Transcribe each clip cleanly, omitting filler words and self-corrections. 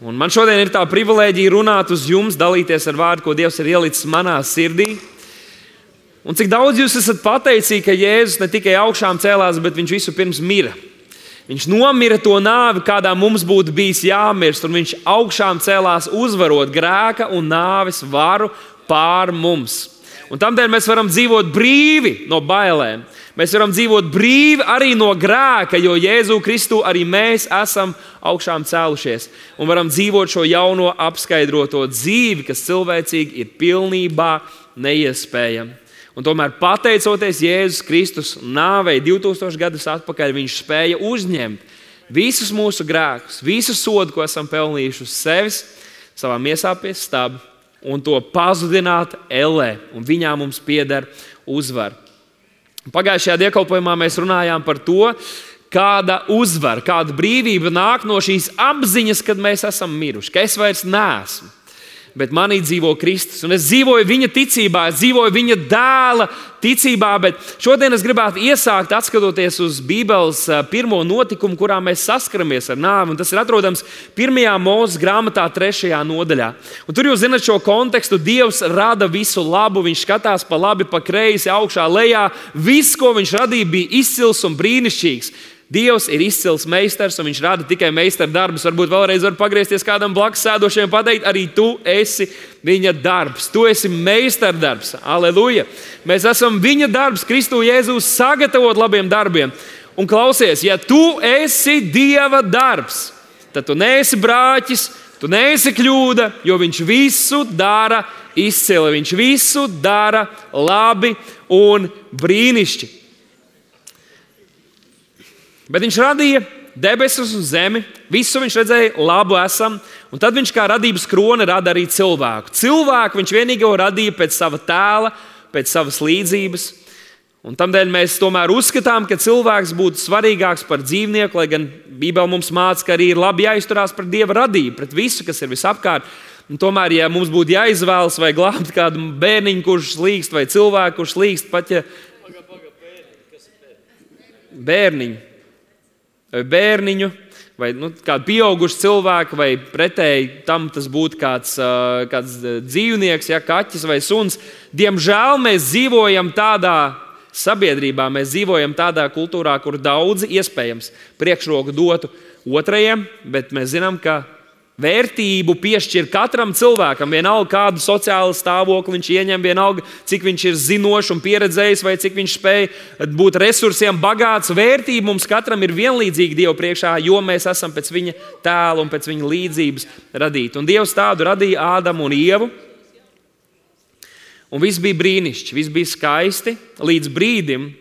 Un man šodien ir tā privilēģija runāt uz jums, dalīties ar vārdu, ko Dievs ir ielicis manā sirdī. Un cik daudz jūs esat pateicīgi, ka Jēzus ne tikai augšām cēlās, bet viņš visu pirms mira. Viņš nomira to nāvi, kādā mums būtu bijis jāmirst, un viņš augšām cēlās uzvarot grēka un nāves varu pār mums. Un tādēļ mēs varam dzīvot brīvi no bailēm. Mēs varam dzīvot brīvi arī no grēka, jo Jēzu Kristu arī mēs esam augšām cēlušies. Un varam dzīvot šo jauno apskaidroto dzīvi, kas cilvēcīgi ir pilnībā neiespējama. Un tomēr, pateicoties Jēzus Kristus nāvei 2000 gadus atpakaļ, viņš spēja uzņemt visus mūsu grēkus, visu sodu, ko esam pelnījuši uz sevis, savā miesā pie staba, un to pazudināt ellē. Un viņā mums pieder uzvara. Pagājušajā dievkalpojumā mēs runājām par to, kāda uzvara, kāda brīvība nāk no šīs apziņas, kad mēs esam miruši, ka es vairs neesmu. Bet manī dzīvo Kristus, un es dzīvoju viņa ticībā, es dzīvoju viņa dēla ticībā, bet šodien es gribētu iesākt atskatoties uz Bībeles pirmo notikumu, kurā mēs saskaramies ar nāvi, un tas ir atrodams 1. Mūzes grāmatā 3. nodaļā. Un tur jūs zināt šo kontekstu, Dievs rada visu labu, viņš skatās pa labi, pa kreisi, augšā, lejā, viss, ko viņš radīja, bija izcils un brīnišķīgs. Dievs ir izcils meistars, un viņš rada tikai meistardarbus. Varbūt vēlreiz var pagriezties kādam blakus sēdošiem un pateikt, arī tu esi viņa darbs. Tu esi meistardarbs. Aleluja! Mēs esam viņa darbs, Kristu Jēzus sagatavot labiem darbiem. Un klausies, ja tu esi Dieva darbs, tad tu neesi brāķis, tu neesi kļūda, jo viņš visu dara izcili. Viņš visu dara labi un brīnišķīgi. Bet viņš radīja debesis un zemi, visu viņš redzēja, labu esam, un tad viņš kā radības krone rada arī cilvēku. Cilvēku viņš vienīgo radīja pēc sava tēla, pēc savas līdzības, un tādēļ mēs tomēr uzskatām, ka cilvēks būtu svarīgāks par dzīvnieku, lai gan Bībele mums māca, ka arī ir labi jāizturās pret Dieva radību, pret visu, kas ir visapkārt. Un tomēr, ja mums būtu jāizvēlas vai glābt kādu bērniņu, kurš slīkst, vai cilvēku, kurš slīkst, pat ja bērniņu, vai kādu pieaugušu cilvēku, vai pretēji tam tas būtu kāds dzīvnieks, kaķis vai suns. Diemžēl mēs dzīvojam tādā sabiedrībā, mēs dzīvojam tādā kultūrā, kur daudzi iespējams priekšroku dotu otrajiem, bet mēs zinām, ka vērtību piešķir katram cilvēkam, vienalga kādu sociālu stāvokli viņš ieņem, vienalga cik viņš ir zinošs un pieredzējis, vai cik viņš spēj būt resursiem bagāts. Vērtība mums katram ir vienlīdzīga Dieva priekšā, jo mēs esam pēc viņa tēla un pēc viņa līdzības radīti. Un Dievs tādu radīja Ādamu un Ievu. Un viss bija brīnišķīgi, viss bija skaisti līdz brīdim,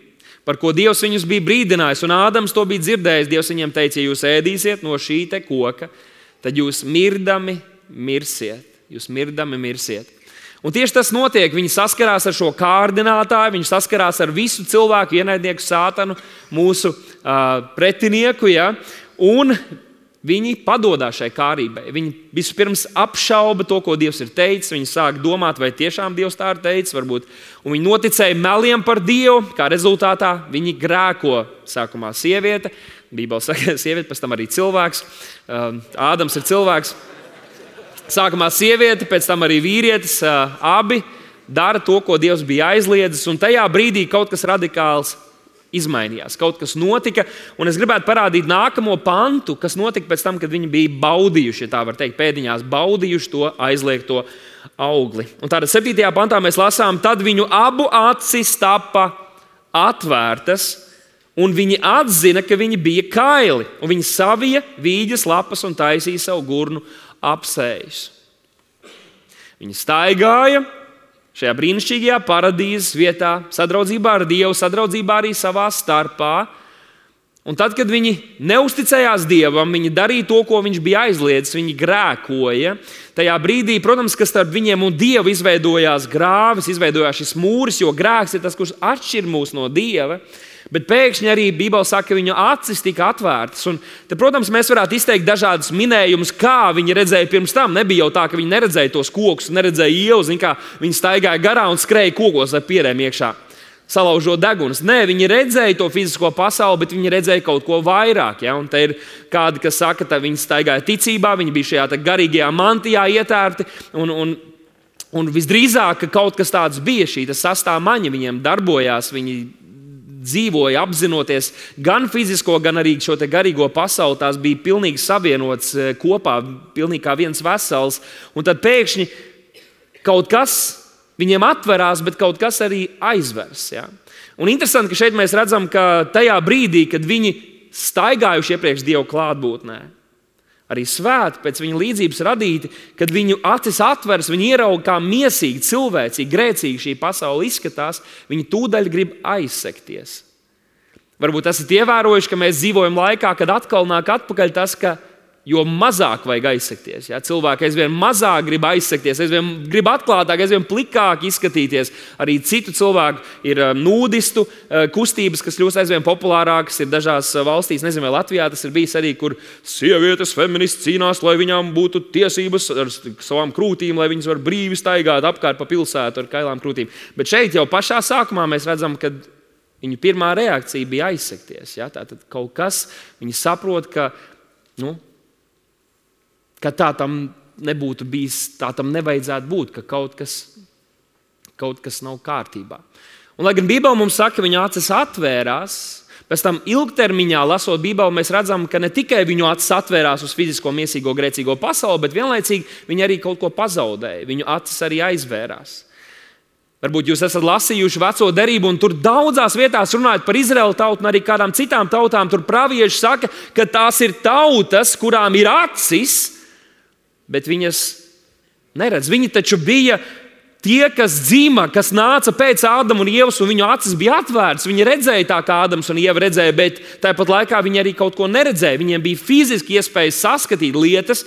par ko Dievs viņus bija brīdinājis. Un Ādams to bija dzirdējis. Dievs viņam teica, ja jūs ēdīsiet no šī te koka, tad jūs mirdami mirsiet. Jūs mirdami mirsiet. Un tieši tas notiek. Viņi saskarās ar šo kārdinātāju, viņi saskarās ar visu cilvēku ienaidnieku sātanu, mūsu pretinieku, un viņi padodās šai kārībai. Viņi vispirms apšauba to, ko Dievs ir teicis. Viņi sāk domāt, vai tiešām Dievs tā ir teicis, varbūt. Un viņi noticēja meliem par Dievu, kā rezultātā viņi grēko. Sākumā sieviete, Bībele saka sieviete, pēc tam arī cilvēks. Ādams ir cilvēks. Sākumā sieviete, pēc tam arī vīrietis. Abi dara to, ko Dievs bija aizliedzis, un tajā brīdī kaut kas radikāls izmainījās. Kaut kas notika, un es gribētu parādīt nākamo pantu, kas notika pēc tam, kad viņi bija baudījuši, ja tā var teikt, pēdiņās baudījuši to aizliegto augli. Un tātad 7. pantā mēs lasām, tad viņu abu acis tapa atvērtas, un viņi atzina, ka viņi bija kaili, un viņi savija vīģes lapas un taisīja savu gurnu apsējus. Viņi staigāja šajā brīnišķīgajā paradīzes vietā, sadraudzībā ar Dievu, sadraudzībā arī savā starpā. Un tad, kad viņi neusticējās Dievam, viņi darīja to, ko viņš bija aizliedzis, viņi grēkoja. Tajā brīdī, protams, ka starp viņiem un Dievu izveidojās grāvis, izveidojās šis mūris, jo grēks ir tas, kurš atšķir mūs no Dieva. Bet pēkšņi arī Bībele saka, ka viņu acis tika atvērtas. Un te, protams, mēs varētu izteikt dažādus minējumus, kā viņi redzēja pirms tam. Nebija jau tā, ka viņi neredzēja tos kokus, neredzēja ielas, kā viņi staigāja garā un skrēja kokos ar pierēm iekšā. salaužot deguns. Nē, viņi redzēja to fizisko pasauli, bet viņi redzēja kaut ko vairāk. Ja? Un te ir kādi, kas saka, ka viņi staigāja ticībā, viņi bija šajā garīgajā mantijā ietērti. Un visdrīzāk, ka kaut kas tāds bija, šī sastāvmaņa viņiem darbojās. Viņi dzīvoja apzinoties gan fizisko, gan arī šo garīgo pasauli. Tās bija pilnīgi savienotas kopā, pilnīgi kā viens vesels. Un tad pēkšņi kaut kas viņiem atverās, bet kaut kas arī aizvers. Ja? Un interesanti, ka šeit mēs redzam, ka tajā brīdī, kad viņi staigājuši iepriekš Dieva klātbūtnē, arī svēti pēc viņa līdzības radīti, kad viņu acis atveras, viņi ierauga, kā miesīgi, cilvēcīgi, grēcīgi šī pasaule izskatās, viņi tūdaļ grib aizsekties. Varbūt esat ievērojuši, ka mēs dzīvojam laikā, kad atkal nāk atpakaļ tas, ka jo mazāk vajag aizsekties. Ja? Cilvēki aizvien mazāk grib aizsekties, aizvien grib atklātāk, aizvien plikāk izskatīties. Arī citu cilvēku ir nūdistu kustības, kas kļūst aizvien populārākas. Ir dažās valstīs, nezinu, vai Latvijā tas ir bijis arī, kur sievietes feministi cīnās, lai viņām būtu tiesības ar savām krūtīm, lai viņas var brīvi staigāt apkārt pa pilsētu ar kailām krūtīm. Bet šeit jau pašā sākumā mēs redzam, ka viņu pirmā reakcija bija aizsekties. Ja? Tātad kaut kas, viņi saprot, ka tā tam nebūtu bijis, tā tam nevajadzētu būt, ka kaut kas nav kārtībā. Un, lai gan Bībele mums saka, ka viņa acis atvērās, pēc tam ilgtermiņā lasot Bībeli, mēs redzam, ka ne tikai viņu acis atvērās uz fizisko, miesīgo, grēcīgo pasauli, bet vienlaicīgi viņi arī kaut ko pazaudēja. Viņu acis arī aizvērās. Varbūt jūs esat lasījuši Veco derību, un tur daudzās vietās runājot par Izraēlu tautu un arī kādām citām tautām. Tur pravieši saka, ka tās ir tautas, kurām ir acis, bet viņas neredz. Viņi taču bija tie, kas dzima, kas nāca pēc Ādama un Ievas, un viņu acis bija atvērtas. Viņi redzēja tā, kā Ādams un Ieva redzēja, bet tāpat laikā viņi arī kaut ko neredzēja. Viņiem bija fiziski iespēja saskatīt lietas,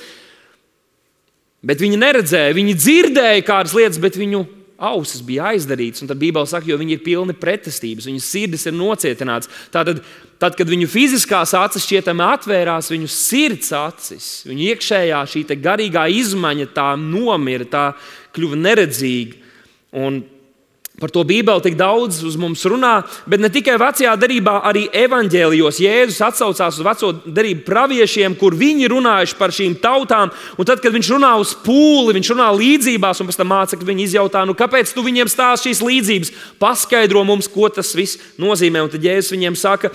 bet viņi neredzēja. Viņi dzirdēja kādas lietas, bet viņu ausis bija aizdarītas. Un tad Bībele saka, jo viņi ir pilni pretestības, viņu sirdis ir nocietināts. Tātad, kad viņu fiziskās acis šķietami atvērās, viņu sirds acis, viņu iekšējā šī garīgā izmaiņa tā nomira, tā kļuva neredzīga. Un par to Bībele tik daudz uz mums runā, bet ne tikai Vecajā derībā, arī evaņģēlijos Jēzus atsaucās uz Veco derību praviešiem, kur viņi runājuši par šīm tautām. Un tad, kad viņš runā uz pūli, viņš runā līdzībās, un pēc tam mācekļi viņi izjautā, kāpēc tu viņiem stāsti šīs līdzības? Paskaidro mums, ko tas viss nozīmē. Un tad Jēzus viņiem saka,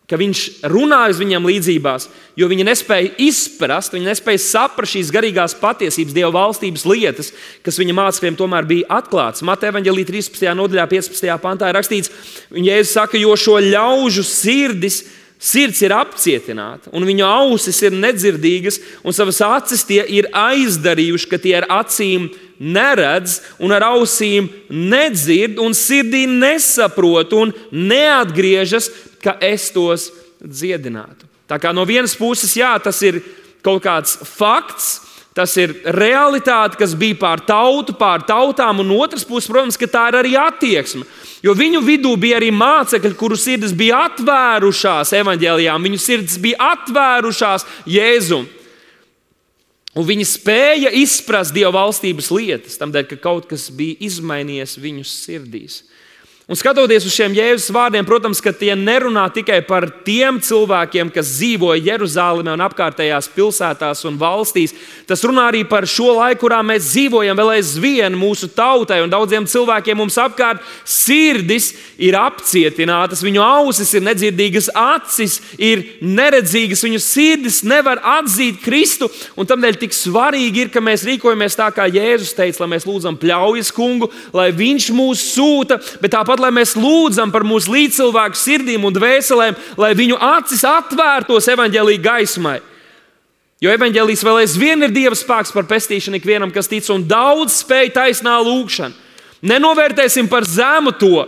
ka viņš runāja uz viņiem līdzībās, jo viņi nespēja izprast, viņi nespēja saprast šīs garīgās patiesības, Dieva valstības lietas, kas viņa mācekļiem tomēr bija atklātas. Mateja evaņģēlija 13. nodaļā 15. pantā ir rakstīts, Jēzus saka, jo šo ļaužu sirds ir apcietināta, un viņu ausis ir nedzirdīgas, un savas acis tie ir aizdarījuši, ka tie ar acīm neredz, un ar ausīm nedzird, un sirdī nesaprot, un neatgriežas, ka es tos dziedinātu. Tā kā no vienas puses, jā, tas ir kaut kāds fakts, tas ir realitāte, kas bija pār tautām, un otras puses, protams, ka tā ir arī attieksme. Jo viņu vidū bija arī mācekļi, kuru sirdis bija atvērušās evaņģēlijām, viņu sirdis bija atvērušās Jēzum. Un viņi spēja izprast Dieva valstības lietas, tādēļ, ka kaut kas bija izmainījies viņu sirdīs. Un skatoties uz šiem Jēzus vārdiem, protams, ka tie nerunā tikai par tiem cilvēkiem, kas dzīvoja Jeruzālēmē un apkārtējās pilsētās un valstīs. Tas runā arī par šo laiku, kurā mēs dzīvojam vēl aizvien mūsu tautai un daudziem cilvēkiem mums apkārt. Sirdis ir apcietinātas, viņu ausis ir nedzirdīgas, acis ir neredzīgas, viņu sirdis nevar atzīt Kristu. Un tādēļ tik svarīgi ir, ka mēs rīkojamies tā, kā Jēzus teica, lai mēs lūdzam pļaujas kungu, lai viņš mūs sūta, bet tāpat lai mēs lūdzam par mūsu līdzcilvēku sirdīm un dvēselēm, lai viņu acis atvērtos evaņģēlija gaismai. Jo evaņģēlijs vēl aizvien ir Dieva spēks par pestīšanu ikvienam, kas tic, un daudz spēj taisnā lūgšana. Nenovērtēsim par zemu to,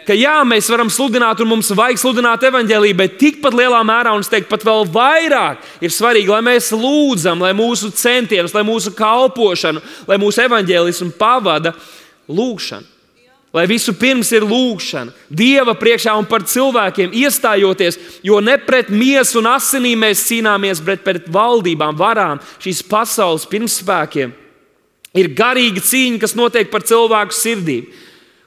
ka jā, mēs varam sludināt un mums vajag sludināt evaņģēliju, bet tikpat lielā mērā, un es teiktu pat vēl vairāk, ir svarīgi, lai mēs lūdzam, lai mūsu centienus, lai mūsu kalpošanu, lai mūsu evaņģēlismu pavada lūgšana. Lai visu pirms ir lūgšana, Dieva priekšā un par cilvēkiem iestājoties, jo ne pret miesu un asinīm mēs cīnāmies, bet pret valdībām, varām, šīs pasaules pirmspēkiem. Ir garīga cīņa, kas notiek par cilvēku sirdīm.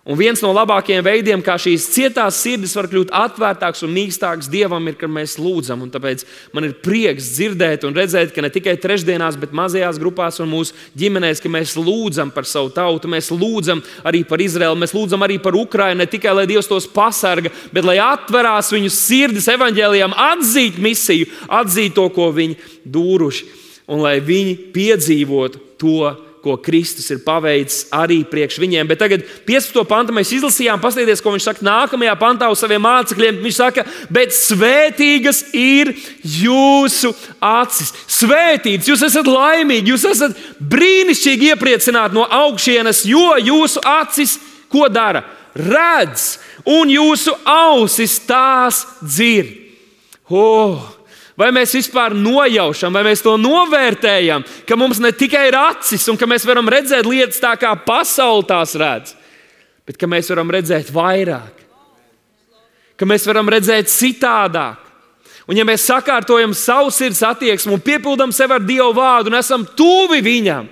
Un viens no labākajiem veidiem, kā šīs cietās sirdis var kļūt atvērtāks un mīkstāks Dievam, ir, kad mēs lūdzam. Un tāpēc man ir prieks dzirdēt un redzēt, ka ne tikai trešdienās, bet mazajās grupās un mūsu ģimenēs, ka mēs lūdzam par savu tautu, mēs lūdzam arī par Izraelu, mēs lūdzam arī par Ukrainu, ne tikai, lai Dievs tos pasarga, bet lai atverās viņu sirdis evaņģēlijam, atzīt misiju, atzīt to, ko viņi dūruši, un lai viņi piedzīvotu to, ko Kristus ir paveicis arī priekš viņiem. Bet tagad 15. pantu mēs izlasījām, paskatieties, ko viņš saka nākamajā pantā uz saviem mācekļiem. Viņš saka, bet svētīgas ir jūsu acis. Svētīts, jūs esat laimīgi, jūs esat brīnišķīgi iepriecināti no augšienes, jo jūsu acis ko dara? Redz, un jūsu ausis tās dzird. Vai mēs vispār nojaušam, vai mēs to novērtējam, ka mums ne tikai ir acis un ka mēs varam redzēt lietas tā, kā pasaule tās redz, bet ka mēs varam redzēt vairāk, ka mēs varam redzēt citādāk. Un ja mēs sakārtojam savu sirds attieksmi un piepildam sevi ar Dieva vārdu un esam tuvi viņam,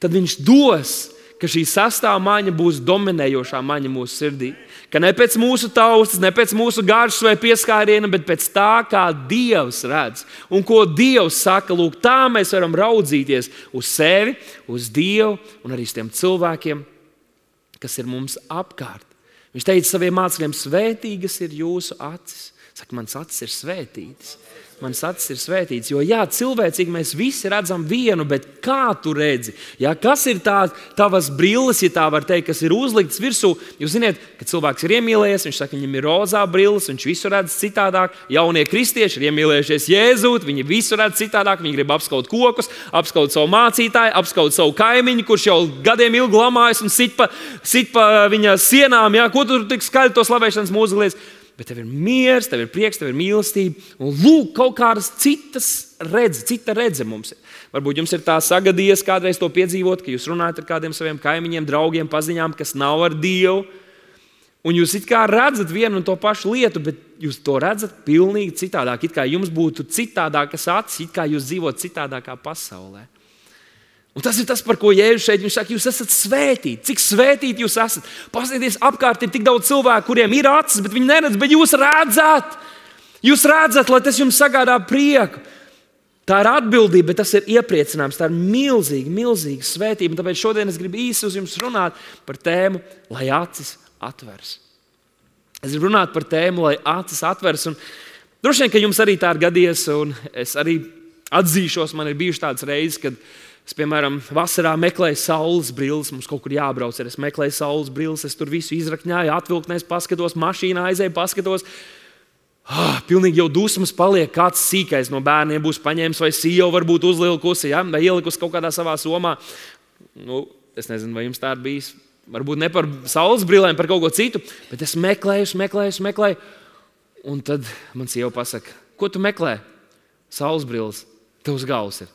tad viņš dos, ka šī sastāvmaņa būs dominējošā maņa mūsu sirdī. Ka ne pēc mūsu taustas, ne pēc mūsu garšas vai pieskāriena, bet pēc tā, kā Dievs redz. Un ko Dievs saka, lūk, tā mēs varam raudzīties uz sevi, uz Dievu un arī uz tiem cilvēkiem, kas ir mums apkārt. Viņš teica saviem mācekļiem, svētīgas ir jūsu acis. Saka, mans acis ir svētītas. Mans acis ir svētīts, jo jā, cilvēcīgi mēs visi redzam vienu, bet kā tu redzi? Jā, kas ir tavas brilles, ja tā var teikt, kas ir uzliktas virsū? Jūs zināt, kad cilvēks ir iemīlējies, viņš saka, viņam ir rozā brilles, viņš visu redz citādāk. Jaunie kristieši ir iemīlējušies Jēzūt, viņi visu redz citādāk, viņi grib apskaut kokus, apskaut savu mācītāju, apskaut savu kaimiņu, kurš jau gadiem ilgi lamājas un sit pa viņa sienām, jā, ko tu tik skaļi to slavēšanas mūziku liec? Bet tev ir miers, tev ir prieks, tev ir mīlestība. Un lūk, kaut kādas cita redze mums ir. Varbūt jums ir tā sagadījies kādreiz to piedzīvot, ka jūs runājat ar kādiem saviem kaimiņiem, draugiem, paziņām, kas nav ar Dievu. Un jūs it kā redzat vienu un to pašu lietu, bet jūs to redzat pilnīgi citādāk. It kā jums būtu citādākas acis, it kā jūs dzīvot citādākā pasaulē. Un tas ir tas, par ko Jēzus šeit viņš saka, jūs esat svētīti. Cik svētīti jūs esat? Paskatieties, apkārt ir tik daudz cilvēku, kuriem ir acis, bet viņi neredz, bet jūs redzat. Jūs redzat, lai tas jums sagādā prieku. Tā ir atbildība, bet tas ir iepriecinājums. Tā ir milzīga svētība. Un tāpēc šodien es gribu īsi uz jums runāt par tēmu, lai acis atveras. Es gribu runāt par tēmu, lai acis atveras. Un droši vien, ka jums arī tā ir gadījies, un es arī atzīšos, man ir bijušas tādas reizes, kad es, piemēram, vasarā meklēju saules brilles, mums kaut kur jābrauc, es meklēju saules brilles, es tur visu izrakņāju, atvilknēs, paskatos, mašīnā aizēju, paskatos. Pilnīgi jau dusmas paliek, kāds sīkais no bērniem būs paņēmis, vai sieva varbūt uzlikusi, ja? Vai ielikusi kaut kādā savā somā. Es nezinu, vai jums tā ir bijis. Varbūt ne par saules brillēm, par kaut ko citu, bet es meklēju. Un tad man sieva pasaka, ko tu meklē? Saules brilles, tev uz galvas ir.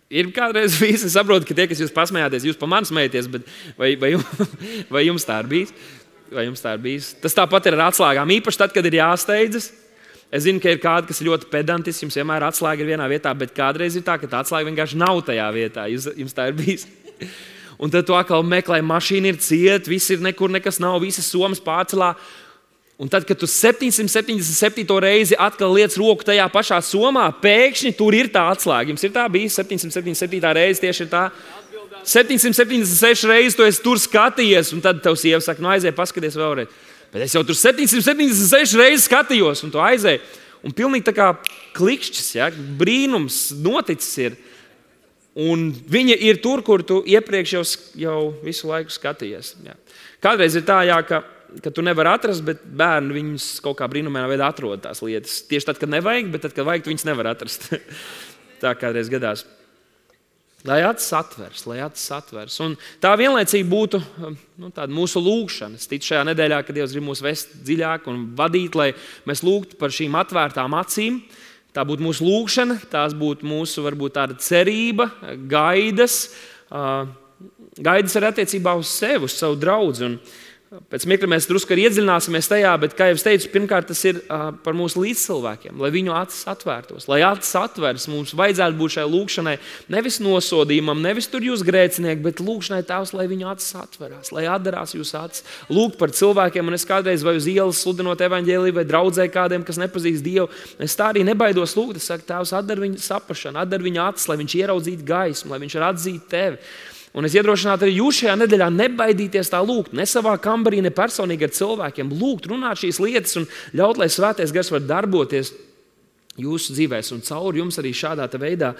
Ir kādreiz bijis, es saprotu, ka tie, kas jūs pasmējāties, jūs pa mani smējaties, bet vai jums tā ir bijis? Tas tāpat ir ar atslēgām, īpaši tad, kad ir jāsteidzas. Es zinu, ka ir kādi, kas ir ļoti pedantiski, jums vienmēr atslēga ir vienā vietā, bet kādreiz ir tā, ka tā atslēga vienkārši nav tajā vietā. Jums tā ir bijis. Un tad tu atkal meklē, mašīna ir cieta, viss ir nekur, nekas nav, visas somas pārcelā. Un tad, kad tu 777. reizi atkal liec roku tajā pašā somā, pēkšņi tur ir tā atslēga. Jums ir tā bijis 777. reize, tieši ir tā. 776 reizes tu esi tur skatījies, un tad tev sieva saka, aizēj, paskaties vēlreiz. Bet es jau tur 776 reizes skatījos, un tu aizēj. Un pilnīgi tā kā klikšķis, ja, brīnums noticis ir. Un viņa ir tur, kur tu iepriekš jau visu laiku skatījies. Ja. Kādreiz ir tā, jā, ka tu nevari atrast, bet bērni viņus kaut kā brīnumainā veidā atrod tās lietas. Tieši tad, kad nevajag, bet tad, kad vajag, tu viņus nevar atrast. Tā kādreiz gadās. Lai acis atvers. Un tā vienlaicīgi būtu tāda mūsu lūgšana. Es ticu šajā nedēļā, ka Dievs grib mūs vest dziļāk un vadīt, lai mēs lūgtu par šīm atvērtām acīm. Tā būtu mūsu lūgšana, tās būtu mūsu varbūt tāda cerība, gaidas arī attiecībā uz sevi, uz savu draudzi. Un Pēc mirkļa mēs drusku arī iedziļināsimies tajā, bet, kā jau es teicu, pirmkārt tas ir par mūsu līdzcilvēkiem, lai viņu acis atvērtos. Lai acis atveras, mums vajadzētu būt šai lūkšanai nevis nosodījumam, nevis tur jūs grēcinieki, bet lūkšanai Tēvs, lai viņu acis atverās, lai atdarās jūsu acis. Lūgt par cilvēkiem, un es kādreiz vai uz ielas sludinot evaņģēliju vai draudzē kādiem, kas nepazīst Dievu, es tā arī nebaidos lūgt. Es saku, Tēvs, atdar viņu saprašanu, atdar viņu acis, lai viņš ieraudzītu gaismu, lai viņš var atzīt Tevi. Un es iedrošinātu arī jūs šajā nedēļā nebaidīties tā lūgt, ne savā kambarī, ne personīgi ar cilvēkiem. Lūgt, runāt šīs lietas un ļaut, lai Svētais Gars var darboties jūsu dzīvēs un caur jums arī šādā veidā.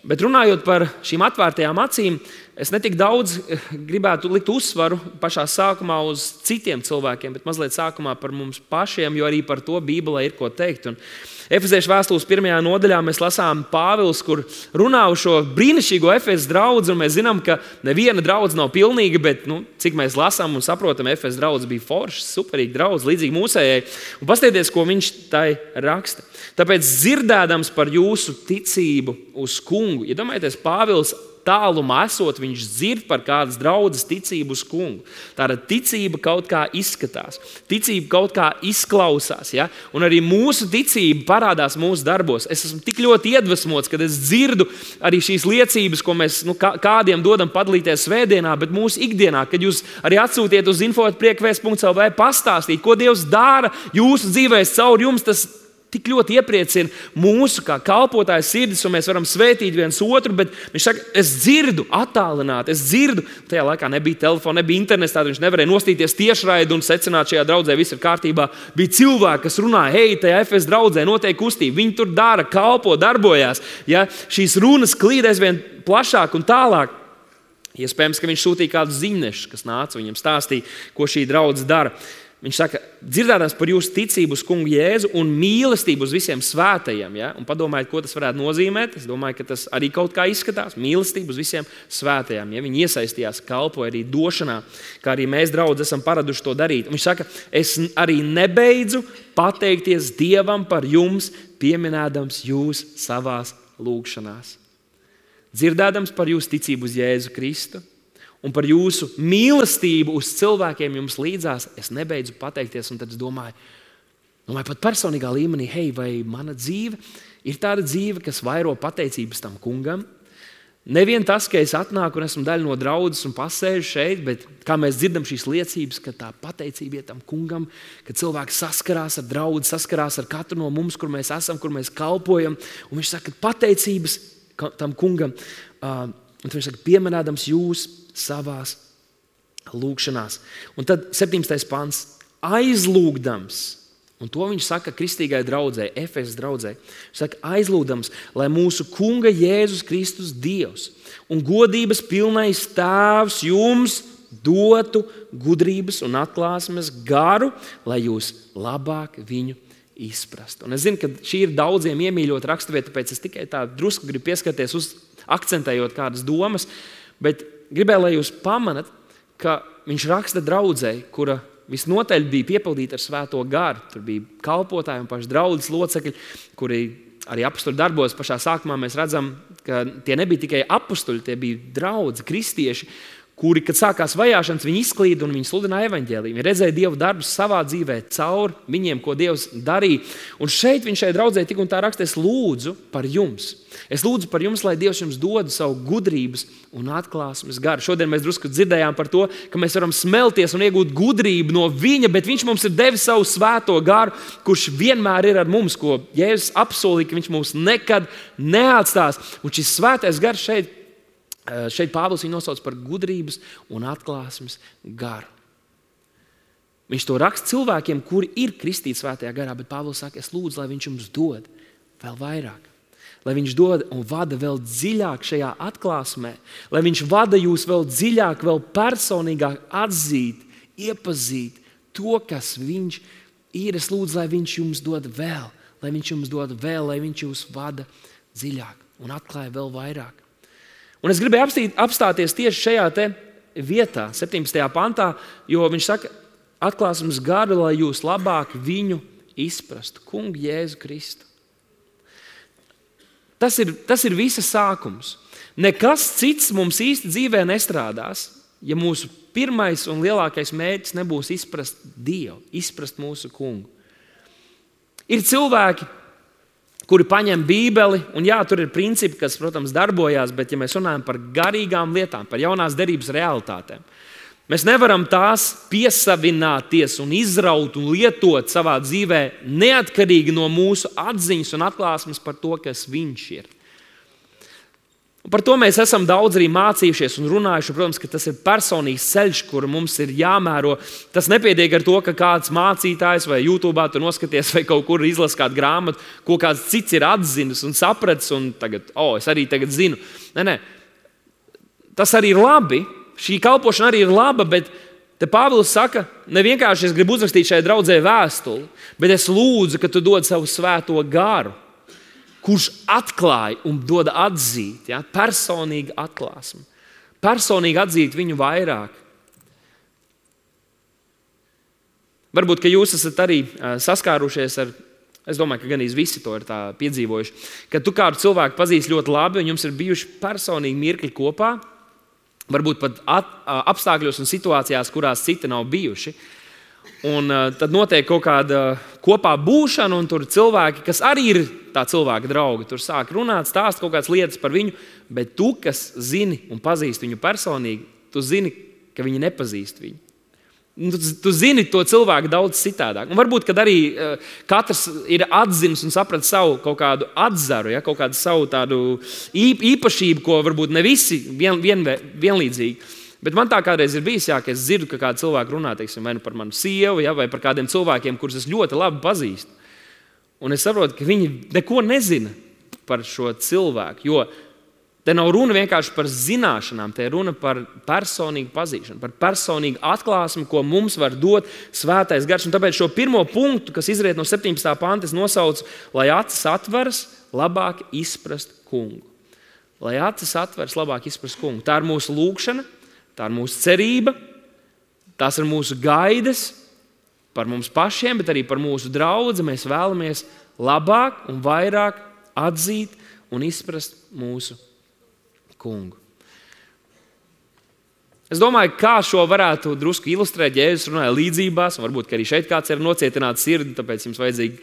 Bet runājot par šīm atvērtajām acīm, es netik daudz gribētu likt uzsvaru pašā sākumā uz citiem cilvēkiem, bet mazliet sākumā par mums pašiem, jo arī par to Bībelē ir ko teikt. Un Efeziešu vēstules 1. nodaļā mēs lasām Pāvils, kur runā uz šo brīnišķīgo Efezes draudzi, un mēs zinām, ka neviena draudze nav pilnīga, bet cik mēs lasām un saprotam, Efezes draudze bija forša, superīga draudze, līdzīgi mūsējai. Un paskatieties, ko viņš tai raksta. Tāpēc dzirdēdams par jūsu ticību uz Kungu, iedomājieties, Pāvils tālumā esot, viņš dzird par kādas draudzes ticību uz Kungu. Tāda ticība kaut kā izskatās, ticība kaut kā izklausās, ja? Un arī mūsu ticība parādās mūsu darbos. Es esmu tik ļoti iedvesmots, kad es dzirdu arī šīs liecības, ko mēs kādiem dodam padalīties svētdienā, bet mūsu ikdienā, kad jūs arī atsūtiet uz info@priekvēsts.lv pastāstīt, ko Dievs dara jūsu dzīvēs caur jums, tas tik ļoti iepriecina mūsu kā kalpotāju sirdis, un mēs varam svētīt viens otru, bet viņš saka, es dzirdu attālināti, es dzirdu, tajā laikā nebija telefona, nebija internets, tātad viņš nevarēja nostīties tiešraidi un secināt, šajā draudzē viss ir kārtībā. Bija cilvēki, kas runāja, hei, tajā Efes draudzē notiek kustība, viņi tur dara, kalpo, darbojās. Ja? Šīs runas klīd aizvien plašāk un tālāk. Iespējams, ka viņš sūtīja kādus ziņnešus, kas nāca viņam stāstīja, ko šī draudze dara. Viņš saka, dzirdēdams par jūsu ticību uz Kungu Jēzu un mīlestību uz visiem svētajiem. Ja? Un padomājiet, ko tas varētu nozīmēt. Es domāju, ka tas arī kaut kā izskatās. Mīlestību uz visiem svētajiem. Ja? Viņi iesaistījās, kalpoja arī došanā, kā arī mēs, draudzi, esam paraduši to darīt. Un viņš saka, es arī nebeidzu pateikties Dievam par jums, pieminēdams jūs savās lūgšanās. Dzirdēdams par jūsu ticību uz Jēzu Kristu un par jūsu mīlestību uz cilvēkiem jums līdzās, es nebeidzu pateikties, un tad es domāju pat personīgā līmenī, hei, vai mana dzīve ir tāda dzīve, kas vairo pateicības tam Kungam? Nevien tas, ka es atnāku un esmu daļa no draudzes un pasēžu šeit, bet kā mēs dzirdam šīs liecības, ka tā pateicība ir tam Kungam, ka cilvēki saskarās ar draudzi, saskarās ar katru no mums, kur mēs esam, kur mēs kalpojam, un viņš saka, pateicības tam Kungam, un viņš saka, pieminēdams jūs savās lūgšanās. Un tad 17. pants, aizlūgdams, un to viņš saka kristīgai draudzē, Efesas draudzē, viņš saka, aizlūgdams, lai mūsu Kunga Jēzus Kristus Dievs un godības pilnais Tēvs jums dotu gudrības un atklāsmes garu, lai jūs labāk viņu izprastu. Un es zinu, ka šī ir daudziem iemīļota raksturvieta, tāpēc es tikai tā drusku gribu pieskarties uz akcentējot kādas domas, bet gribēju, lai jūs pamanat, ka viņš raksta draudzei, kura visnotaļ bija piepildīta ar Svēto garu. Tur bija kalpotāji un paši draudzes locekļi, kuri arī apostuli darbos. Pašā sākumā mēs redzam, ka tie nebija tikai apostuli, tie bija draudzi, kristieši, kuri, kad sākās vajāšanas, viņi izklīda un viņi sludināja evaņģēliju. Viņi redzēja Dieva darbus savā dzīvē caur viņiem, ko Dievs darīja. Un šeit viņš šai draudzē tik un tā raksta, es lūdzu par jums. Es lūdzu par jums, lai Dievs jums dod savu gudrības un atklāsmes garu. Šodien mēs drusku dzirdējām par to, ka mēs varam smelties un iegūt gudrību no viņa, bet viņš mums ir devis savu svēto garu, kurš vienmēr ir ar mums, ko Jēzus apsolīja, ka viņš mums nekad neatstās. Un šis svētais gars šeit Pāvils viņu nosauc par gudrības un atklāsmes garu. Viņš to raksta cilvēkiem, kuri ir kristīti svētajā garā, bet Pāvils saka, es lūdzu, lai viņš jums dod vēl vairāk. Lai viņš dod un vada vēl dziļāk šajā atklāsmē, lai viņš vada jūs vēl dziļāk, vēl personīgāk atzīt, iepazīt to, kas viņš ir. Es lūdzu, lai viņš jums dod vēl, lai viņš jūs vada dziļāk un atklāja vēl vairāk. Un es gribēju apstāties tieši šajā te vietā, 17. pantā, jo viņš saka, atklāsmes garu, lai jūs labāk viņu izprastu, Kungu Jēzu Kristu. Tas ir visa sākums. Nekas cits mums īsti dzīvē nestrādās, ja mūsu pirmais un lielākais mērķis nebūs izprast Dievu, izprast mūsu kungu. Ir cilvēki, kuri paņem Bībeli, un jā, tur ir principi, kas, protams, darbojās, bet ja mēs runājam par garīgām lietām, par jaunās derības realitātēm, mēs nevaram tās piesavināties un izraut un lietot savā dzīvē neatkarīgi no mūsu atziņas un atklāsmes par to, kas viņš ir. Un par to mēs esam daudz arī mācījušies un runājuši. Protams, ka tas ir personīgs ceļš, kuru mums ir jāmēro. Tas nepietiek ar to, ka kāds mācītājs vai YouTube tur noskaties vai kaut kur izlasa kādu grāmatu, ko kāds cits ir atzinis un sapratis, un tagad, es arī tagad zinu. Nē. Tas arī ir labi. Šī kalpošana arī ir laba, bet te Pāvils saka, ne vienkārši es gribu uzrakstīt šai draudzē vēstuli, bet es lūdzu, ka tu dod savu svēto garu, kurš atklāja un dod atzīt, personīgi atklāsmi. Personīgi atzīt viņu vairāk. Varbūt, ka jūs esat arī saskārušies ar, es domāju, ka ganīs visi to ir tā piedzīvojuši, ka tu kādu cilvēku pazīsti ļoti labi un jums ir bijuši personīgi mirkļi kopā, varbūt pat apstākļos un situācijās, kurās citi nav bijuši. Un tad notiek kaut kāda kopā būšana, un tur cilvēki, kas arī ir tā cilvēka draugi, tur sāk runāt, stāst kaut kādas lietas par viņu, bet tu, kas zini un pazīsti viņu personīgi, tu zini, ka viņi nepazīst viņu. Tu zini to cilvēku daudz citādāk. Un varbūt, kad arī katrs ir atzinis un sapratis savu kaut kādu atzaru, kaut kādu savu tādu īpašību, ko varbūt ne visi vienlīdzīgi. Bet man tā kādreiz ir bijis, ka es dzirdu, ka kādi cilvēki runā, teiksim, vai par manu sievu, vai par kādiem cilvēkiem, kurus es ļoti labi pazīstu. Un es saprotu, ka viņi neko nezina par šo cilvēku, jo te nav runa vienkārši par zināšanām, te ir runa par personīgu pazīšanu, par personīgu atklāsmi, ko mums var dot svētais gars. Un tāpēc šo pirmo punktu, kas izriet no 17. panta, es nosaucu, lai acis atveras, labāk izprast kungu. Lai acis atveras, labāk izprast kungu. Tā ir mūsu lūgšana. Tā ir mūsu cerība, tās ir mūsu gaidas par mums pašiem, bet arī par mūsu draudzi. Mēs vēlamies labāk un vairāk atzīt un izprast mūsu kungu. Es domāju, kā šo varētu drusku ilustrēt, ja Jēzus runāja līdzībās, un varbūt, ka arī šeit kāds ir nocietināts sirdi, tāpēc jums vajadzīgi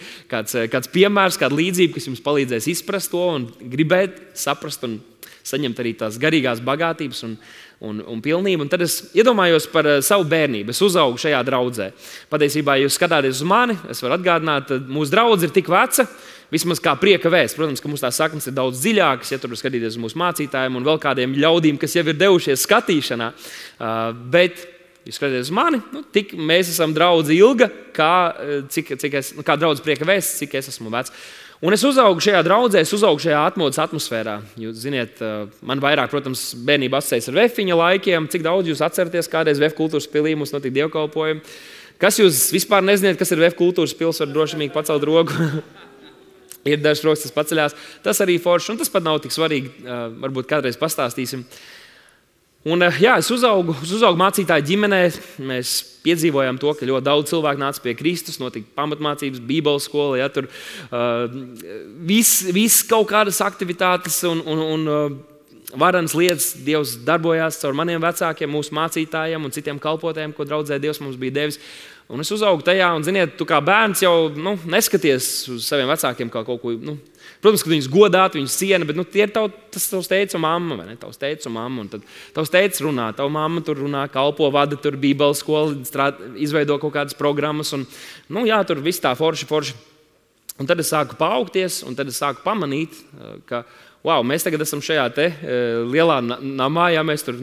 kāds piemērs, kāda līdzība, kas jums palīdzēs izprast to un gribēt saprast un saņemt arī tās garīgās bagātības un pilnību. Un tad es iedomājos par savu bērnību. Es uzaugu šajā draudzē. Patiesībā, ja jūs skatāties uz mani, es varu atgādināt, ka mūsu draudze ir tik veca, vismaz kā prieka vēsts. Protams, ka mums tās saknes ir daudz dziļākas, ja tur skatīties uz mūsu mācītājiem un vēl kādiem ļaudīm, kas jau ir devušies skatīšanā. Bet, ja skatāties uz mani, tik mēs esam draudze ilga, kā draudze prieka vēsts, cik es esmu vecs. Un es uzaugu šajā draudzē, es uzaugu šajā atmodas atmosfērā. Jūs ziniet, man vairāk, protams, bērnība asociējas ar vefiņa laikiem. Cik daudz jūs atceraties, kādreiz Vef kultūras pilī mums notika dievkalpojumi? Kas jūs vispār nezināt, kas ir Vef kultūras pils, var drošīgi pacelt roku? Ir dažs rokas, tas paceļās. Tas arī forši, un tas pat nav tik svarīgi. Varbūt kādreiz pastāstīsim. Un, es uzaugu mācītāju ģimenē. Mēs piedzīvojām to, ka ļoti daudz cilvēku nāca pie Kristus, notika pamatmācības, bībeles skola, tur viss kaut kādas aktivitātes un varenas lietas Dievs darbojās caur maniem vecākiem, mūsu mācītājiem un citiem kalpotājiem, ko draudzē Dievs mums bija devis. Un es uzaugu tajā, un, ziniet, tu kā bērns jau neskaties uz saviem vecākiem kā kaut ko. Protams, ka viņus godāt, viņus ciena, bet tie ir tas tavs teica un mamma, vai ne? Tavs teica un mamma, un tad tavs teica runā, tava mamma tur runā, kalpo, vada tur bībeles skolu, izveido kaut kādas programmas, un, tur viss tā forši. Un tad es sāku paaugties, un tad es sāku pamanīt, ka, mēs tagad esam šajā te lielā namā, mēs tur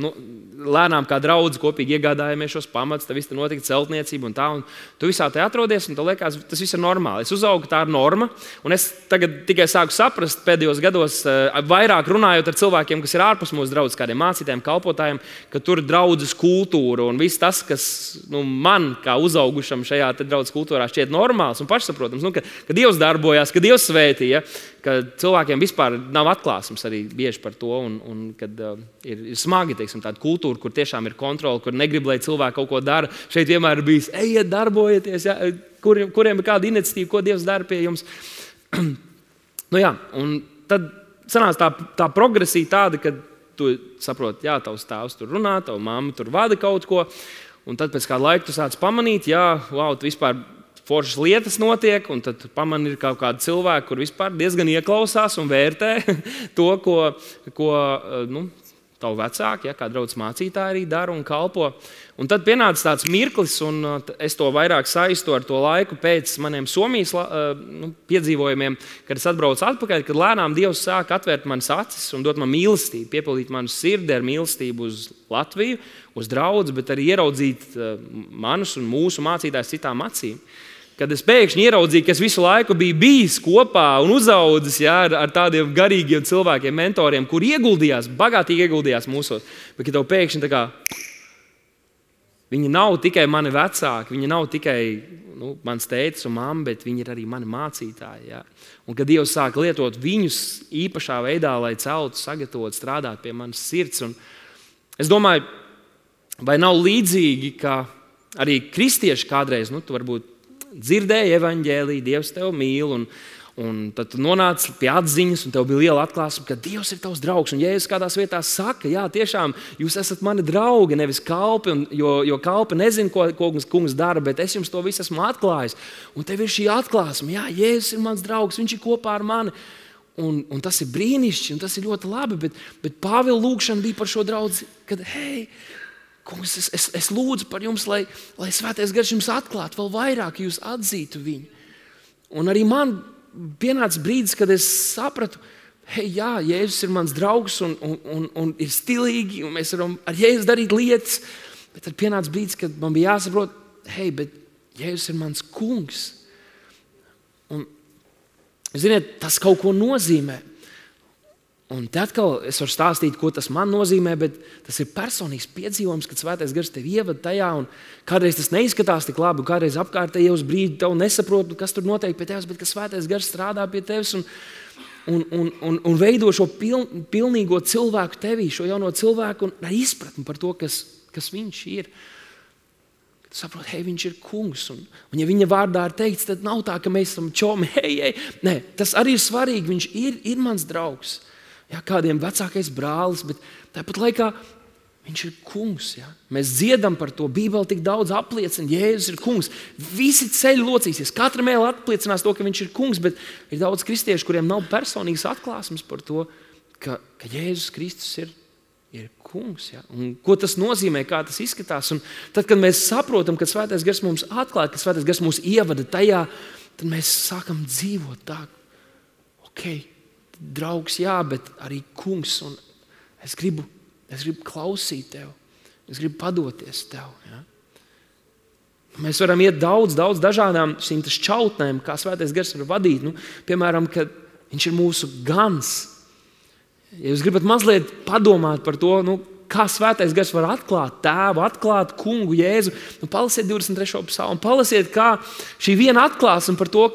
lēnām kā draudzi kopīgi iegādājamies šos pamatus, tad viss tur notika celtniecība un tā, un tu visā te atrodies, un tev liekas, tas viss ir normāli. Es uzaugu, tā ir norma, un es tagad tikai sāku saprast pēdējos gados, vairāk runājot ar cilvēkiem, kas ir ārpus mūsu draudzes, kādiem mācītājiem, kalpotājiem, ka tur ir draudzes kultūra, un viss tas, kas man, kā uzaugušam šajā te draudzes kultūrā šķiet normāls un pašsaprotams, ka Dievs darbojās, ka Dievs svētīja, ka cilvēkiem vispār nav atklāsmes arī bieži par to, un kad ir smagi, teiksim, tāda kultūra, kur tiešām ir kontrole, kur negrib, lai cilvēki kaut ko dara. Šeit vienmēr ir bijis, ejiet, darbojieties, kuriem ir kāda iniciatīva, ko Dievs dara pie jums. Un tad sanāca tā progresija tāda, ka tu saproti, jā, tavs tēvs tur runā, tava mamma tur vada kaut ko, un tad pēc kāda laika tu sāc pamanīt, jā, wow, tu vispār foršas lietas notiek, un tad pamani ir kaut kādi cilvēki, kur vispār diezgan ieklausās un vērtē to, ko tavu vecāki, kā draudzes mācītāji arī dara un kalpo. Un tad pienāca tāds mirklis, un es to vairāk saistu ar to laiku pēc maniem Somijas piedzīvojumiem, kad es atbraucu atpakaļ, kad lēnām Dievs sāka atvērt manas acis un dot man mīlestību, piepildīt manu sirdi ar mīlestību uz Latviju, uz draudzi, bet arī ieraudzīt manus un mūsu mācītājus citām acīm. Kad es pēkšņi ieraudzīju, ka es visu laiku biju bijis kopā un uzaudzis ar tādiem garīgiem cilvēkiem, mentoriem, kur bagātīgi ieguldījās mūsos, bet ka tev pēkšņi tā kā viņi nav tikai mani vecāki, viņi nav tikai mans tētis un mamma, bet viņi ir arī mani mācītāji. Ja? Un kad Dievs sāk lietot viņus īpašā veidā, lai celtu, sagatavotu, strādāt pie manas sirds. Un es domāju, vai nav līdzīgi, ka arī kristieši kādreiz, tu varbūt dzirdēji evaņģēliju, Dievs tevi mīl, un tad tu nonāci pie atziņas, un tev bija liela atklāsme, ka Dievs ir tavs draugs. Un Jēzus kādās vietās saka, jā, tiešām jūs esat mani draugi, nevis kalpi, jo kalpi nezina, ko kungs dara, bet es jums to visu esmu atklājis. Un tev ir šī atklāsme, jā, Jēzus ir mans draugs, viņš ir kopā ar mani. Un tas ir brīnišķīgi, un tas ir ļoti labi, bet Pāvila lūgšana bija par šo draudzi, kad, hei, kungs, es lūdzu par jums, lai Svētais Gars jums atklātu vēl vairāk, jūs atzītu viņu. Un arī man pienāca brīdis, kad es sapratu, hei, jā, Jēzus ir mans draugs un ir stilīgi, un mēs varam ar Jēzus darīt lietas, bet tad pienāca brīdis, kad man bija jāsaprot, hei, bet Jēzus ir mans kungs. Un, ziniet, tas kaut ko nozīmē. Un te atkal es varu stāstīt, ko tas man nozīmē, bet tas ir personīgs piedzīvojums, kad Svētais Gars tevi ievada tajā, un kādreiz tas neizskatās tik labi, un kādreiz apkārtēji uz brīdi tev nesaprot, kas tur notiek pie tevis, bet ka Svētais Gars strādā pie tevis un veido šo pilnīgo cilvēku tevī, šo jauno cilvēku un izpratni par to, kas viņš ir. Kad tu saproti, hei, viņš ir kungs, un ja viņa vārdā ir teikts, tad nav tā, ka mēs esam čomi, hei. Nē, tas arī ir svarīgi, viņš ir mans draugs. Jā, kādiem vecākais brālis, bet tāpat laikā viņš ir kungs. Jā. Mēs dziedam par to, Bībele tik daudz apliecina, Jēzus ir kungs. Visi ceļi locīsies, katra mēle apliecinās to, ka viņš ir kungs, bet ir daudz kristiešu, kuriem nav personīgas atklāsmes par to, ka Jēzus Kristus ir kungs. Jā. Un ko tas nozīmē, kā tas izskatās. Un tad, kad mēs saprotam, ka Svētais Gars mums atklāja, ka Svētais Gars mūs ievada tajā, tad mēs sākam dzīvot tā, draugs, jā, bet arī kungs, un es gribu klausīt tev, es gribu padoties tev. Ja? Mēs varam iet daudz dažādām šīm šķautnēm, kā Svētais Gars var vadīt. Piemēram, kad viņš ir mūsu gans. Ja jūs gribat mazliet padomāt par to, kā Svētais Gars var atklāt tēvu, atklāt kungu Jēzu, palasiet 23. psalmu, palasiet, kā šī viena atklāsme par to,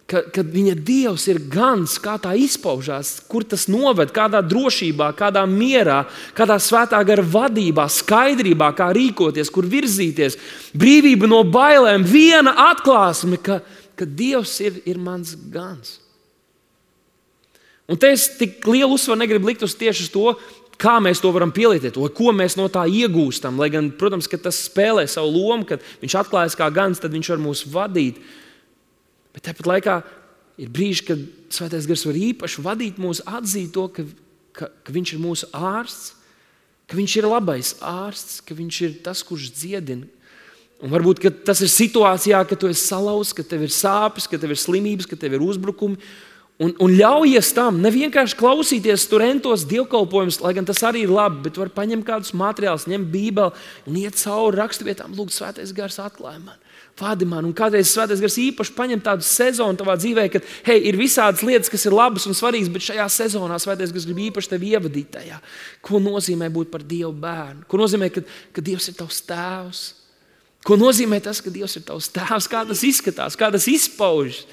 kad viņa Dievs ir gans, kā tā izpaužās, kur tas noved, kādā drošībā, kādā mierā, kādā Svētā Gara vadībā, skaidrībā, kā rīkoties, kur virzīties, brīvība no bailēm, viena atklāsme, ka Dievs ir mans gans. Un te es tik lielu uzsvaru negribu likt tieši uz to, kā mēs to varam pielietot, vai ko mēs no tā iegūstam, lai gan, protams, ka tas spēlē savu lomu, kad viņš atklājas kā gans, tad viņš var mūs vadīt. Bet tāpat laikā ir brīži, kad Svētais Gars var īpaši vadīt mūs, atzīt to, ka viņš ir mūsu ārsts, ka viņš ir labais ārsts, ka viņš ir tas, kurš dziedina. Un varbūt tas ir situācijā, ka tu esi salauzts, ka tev ir sāpes, ka tev ir slimības, ka tev ir uzbrukumi. Un ļaujies tam, ne vienkārši klausīties tur entos dievkalpojumus, lai gan tas arī ir labi, bet var paņemt kādus materiālus, ņemt Bībeli un iet cauri raksturvietām, lūgt Svētais Gars atklāj man. Vādi man, un kādreiz Svētais Gars īpaši paņem tādu sezonu tavā dzīvē, kad, hei, ir visādas lietas, kas ir labas un svarīgas, bet šajā sezonā Svētais Gars grib īpaši tevi ievadīt tajā. Ko nozīmē būt par Dievu bērnu? Ko nozīmē, ka Dievs ir tavs tēvs? Ko nozīmē tas, ka Dievs ir tavs tēvs? Kā tas izskatās? Kā tas izpaužas?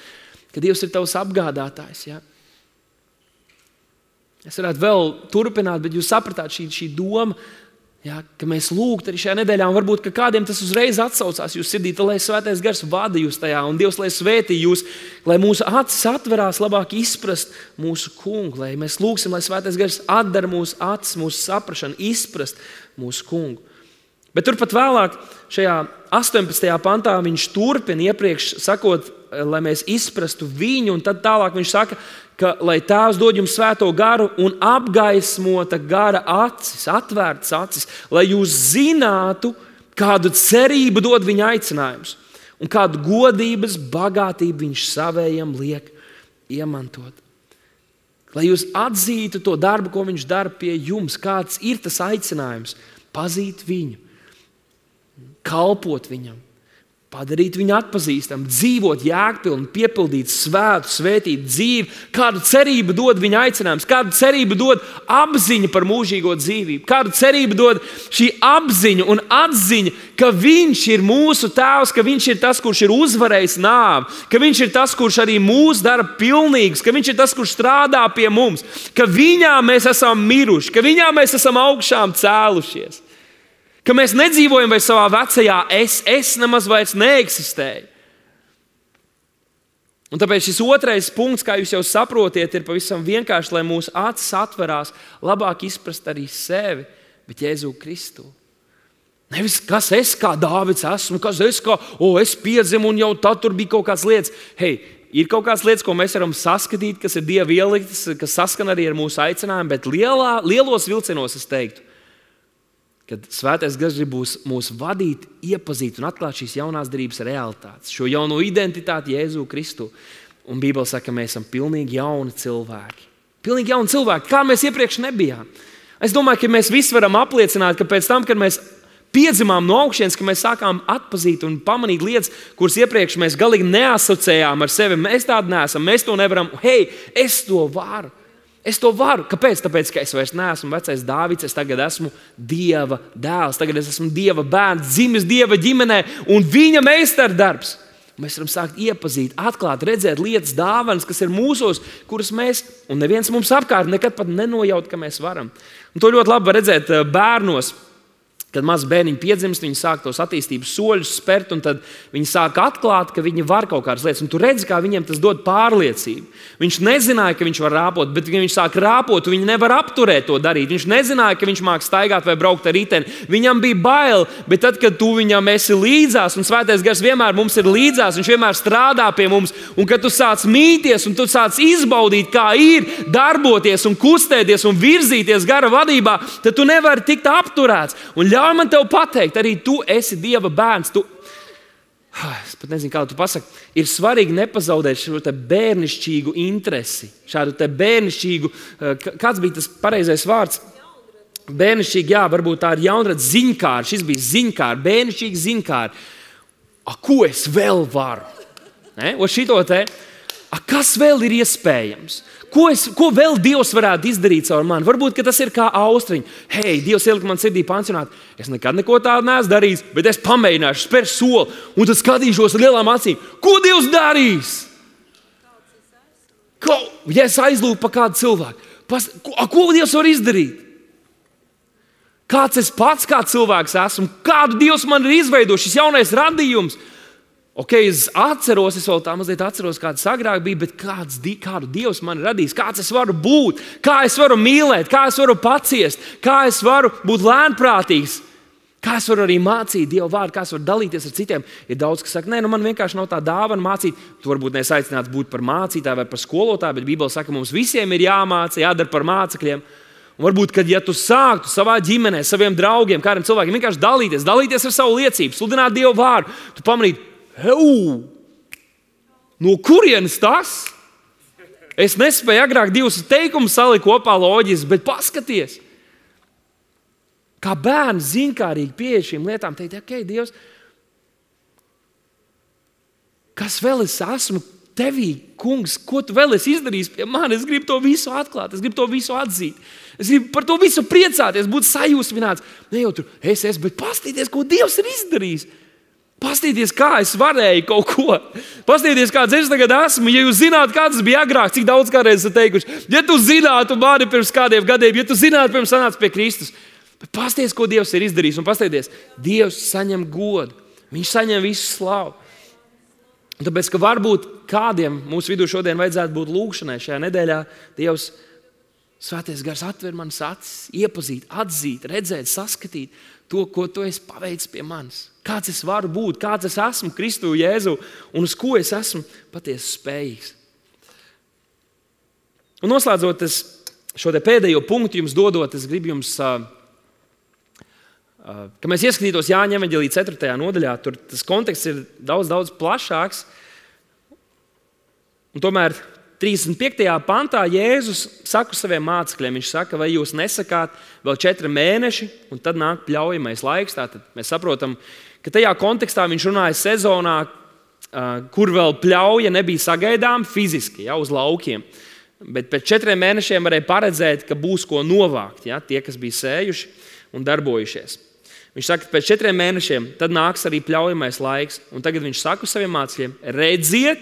Ka Dievs ir tavs apgādātājs, ja? Es varētu vēl turpināt, bet jūs sapratāt šī doma, Ja, ka mēs lūgtu arī šajā nedēļā, un varbūt ka kādiem tas uzreiz atsaucās jūsu sirdī, lai Svētais Gars vada jūs tajā, un Dievs, lai svētī jūs, lai mūsu acis atverās labāk izprast mūsu kungu, lai mēs lūgsim, lai Svētais Gars atdara mūsu acis, mūsu saprašanu, izprast mūsu kungu. Bet turpat vēlāk, šajā 18. pantā, viņš turpina iepriekš sakot, lai mēs izprastu viņu, un tad tālāk viņš saka, ka lai Tēvs dod jums svēto garu un apgaismota gara acis, atvērtas acis, lai jūs zinātu, kādu cerību dod viņa aicinājums un kādu godības bagātību viņš savējam liek iemantot. Lai jūs atzītu to darbu, ko viņš dara pie jums, kāds ir tas aicinājums, pazīt viņu, kalpot viņam, padarīt viņu atpazīstamu, dzīvot jēgpilni, piepildīt svētu, svētīt dzīvi, kādu cerību dod viņa aicinājums, kādu cerību dod apziņa par mūžīgo dzīvību, kādu cerību dod šī apziņa un atziņa, ka viņš ir mūsu tēvs, ka viņš ir tas, kurš ir uzvarējis nāvi, ka viņš ir tas, kurš arī mūs dara pilnīgus, ka viņš ir tas, kurš strādā pie mums, ka viņā mēs esam miruši, ka viņā mēs esam augšām cēlušies. Ka mēs nedzīvojam vairs savā vecajā es nemaz vairs neeksistēju. Un tāpēc šis otrais punkts, kā jūs jau saprotiet, ir pavisam vienkārši, lai mūsu acis atverās, labāk izprast arī sevi, bet Jēzu Kristu. Nevis, kas es kā Dāvids esmu, kas es kā, es piedzimu un jau tad tur bija kaut kādas lietas. Hei, ir kaut kādas lietas, ko mēs varam saskatīt, kas ir Dieva ieliktas, kas saskan arī ar mūsu aicinājumu, bet lielos vilcienos es teiktu, kad Svētais Gars grib mūs vadīt, iepazīt un atklāt šīs jaunās derības realitātes, šo jauno identitāti Jēzu Kristu. Un Bībele saka, ka mēs esam pilnīgi jauni cilvēki. Pilnīgi jauni cilvēki, kā mēs iepriekš nebijām. Es domāju, ka mēs visi varam apliecināt, ka pēc tam, kad mēs piedzimām no augšienes, ka mēs sākām atpazīt un pamanīt lietas, kuras iepriekš mēs galīgi neasociējām ar sevi. Mēs tādi neesam, mēs to nevaram. Hei, es to varu. Es to varu. Kāpēc? Tāpēc, ka es vairs neesmu vecais Dāvids, es tagad esmu Dieva dēls, tagad es esmu Dieva bērns, dzimis Dieva ģimenē un viņa meistardarbs. Mēs varam sākt iepazīt, atklāt, redzēt lietas, dāvanas, kas ir mūsos, kuras mēs, un neviens mums apkārt nekad pat nenojaut, ka mēs varam. Un to ļoti labi var redzēt bērnos. Kad mazs bērniņš piedzimst, viņi sāk tos attīstības soļus spērt, un tad viņi sāk atklāt, ka viņi var kaut kādas lietas. Un tu redzi, kā viņiem tas dod pārliecību. Viņš nezināja, ka viņš var rāpot, bet ja viņš sāk rāpot, viņi nevar apturēt to darīt. Viņš nezināja, ka viņš māk staigāt vai braukt ar riteni. Viņam bija bail, bet tad, kad tu viņam esi līdzās, un Svētais Gars vienmēr mums ir līdzās, viņš vienmēr strādā pie mums, un kad tu sāc mīties, un tu sāc izbaudīt, kā ir darboties un kustēties un virzīties gara vadībā, tad tu nevari tikt apturēts. Un ļauj man tev pateikt, arī tu esi Dieva bērns. Es pat nezinu, kā tu pasaki. Ir svarīgi nepazaudēt šo te bērnišķīgu interesi. Šādu te bērnišķīgu, kāds bija tas pareizais vārds? Bērnišķīgi, jā, varbūt tā ir jaunradz ziņkāri. Šis bija ziņkāri, bērnišķīgi ziņkāri. Ko es vēl varu? Šito te, kas vēl ir iespējams? Ko vēl Dievs varētu izdarīt caur mani? Varbūt tas ir kā austriņa. Hei, Dievs ielika man sirdī pansionāt. Es nekad neko tādu neesmu darījis, bet es pamēģināšu, spēru soli un tad skatīšos ar lielām acīm. Ko Dievs darīs? Ja es aizlūku pa kādu cilvēku, ko Dievs var izdarīt? Kāds es pats kā cilvēks esmu? Kādu Dievs man ir izveidojis? Šis jaunais radījums. Es atceros, es vēl tā mazliet atceros, kāds agrāk bija, bet kādu Dievs man ir radījis, kāds es varu būt, kā es varu mīlēt, kā es varu paciest, kā es varu būt lēnprātīgs, kā es varu arī mācīt Dieva vārdu, kā es varu dalīties ar citiem. Ir daudz, kas saka, man vienkārši nav tā dāvana mācīt. Tu varbūt neesi aicināts būt par mācītāju vai par skolotāju, bet Bībele saka, mums visiem ir jāmāca, jādara par mācekļiem. Un varbūt, kad ja tu sāktu savā ģimenē, saviem draugiem, kādiem cilvēkiem vienkārši dalīties ar savu liecību, sludināt Dieva vārdu, tu pamanītu, no kurienes tas? Es nespēju agrāk divus teikumus salikt kopā loģiski, bet paskaties. Kā bērns ziņkārīgi pieeja šīm lietām, teikt, Dievs, kas vēl es esmu tevī, kungs, ko tu vēl esi izdarījis pie mani? Es gribu to visu atklāt, es gribu to visu atzīt. Es gribu par to visu priecāties, būt sajūsmināts. Ne jau tur bet paskatīties, ko Dievs ir izdarījis. Pastīties, kā es varēju kaut ko. Pastīties, kāds es tagad esmu. Ja jūs zinātu, kāds bija agrāk, cik daudz kādreiz esat teikuši. Ja tu zinātu mani pirms kādiem gadiem, ja tu zinātu, pirms sanāca pie Kristus. Bet pasties, ko Dievs ir izdarījis, un pastieties, Dievs saņem godu. Viņš saņem visu slavu. Un tāpēc, ka varbūt kādiem mūsu vidū šodien vajadzētu būt lūgšanai šajā nedēļā, Dievs, Svētais Gars atver manas acis, iepazīt, atzīt, redzēt, saskatīt to, ko tu esi paveicis pie manis. Kāds es varu būt, kāds es esmu Kristu Jēzu un uz ko es esmu patiesi spējīgs. Un noslēdzot šo te pēdējo punktu jums dodot, es gribu jums, ka mēs ieskatītos Jāņa evaņģēlija 4. nodaļā, tur tas konteksts ir daudz plašāks. Un tomēr 35. pantā Jēzus saka saviem mācekļiem, viņš saka, vai jūs nesakāt vēl 4 mēneši, un tad nāk pļaujamais laiks. Tātad mēs saprotam, ka tajā kontekstā viņš runāja sezonā, kur vēl pļauja nebija sagaidām fiziski, uz laukiem. Bet pēc 4 mēnešiem varēja paredzēt, ka būs ko novākt, tie, kas bija sējuši un darbojušies. Viņš saka, ka pēc 4 mēnešiem tad nāks arī pļaujamais laiks, un tagad viņš saka saviem mācekļiem, redziet,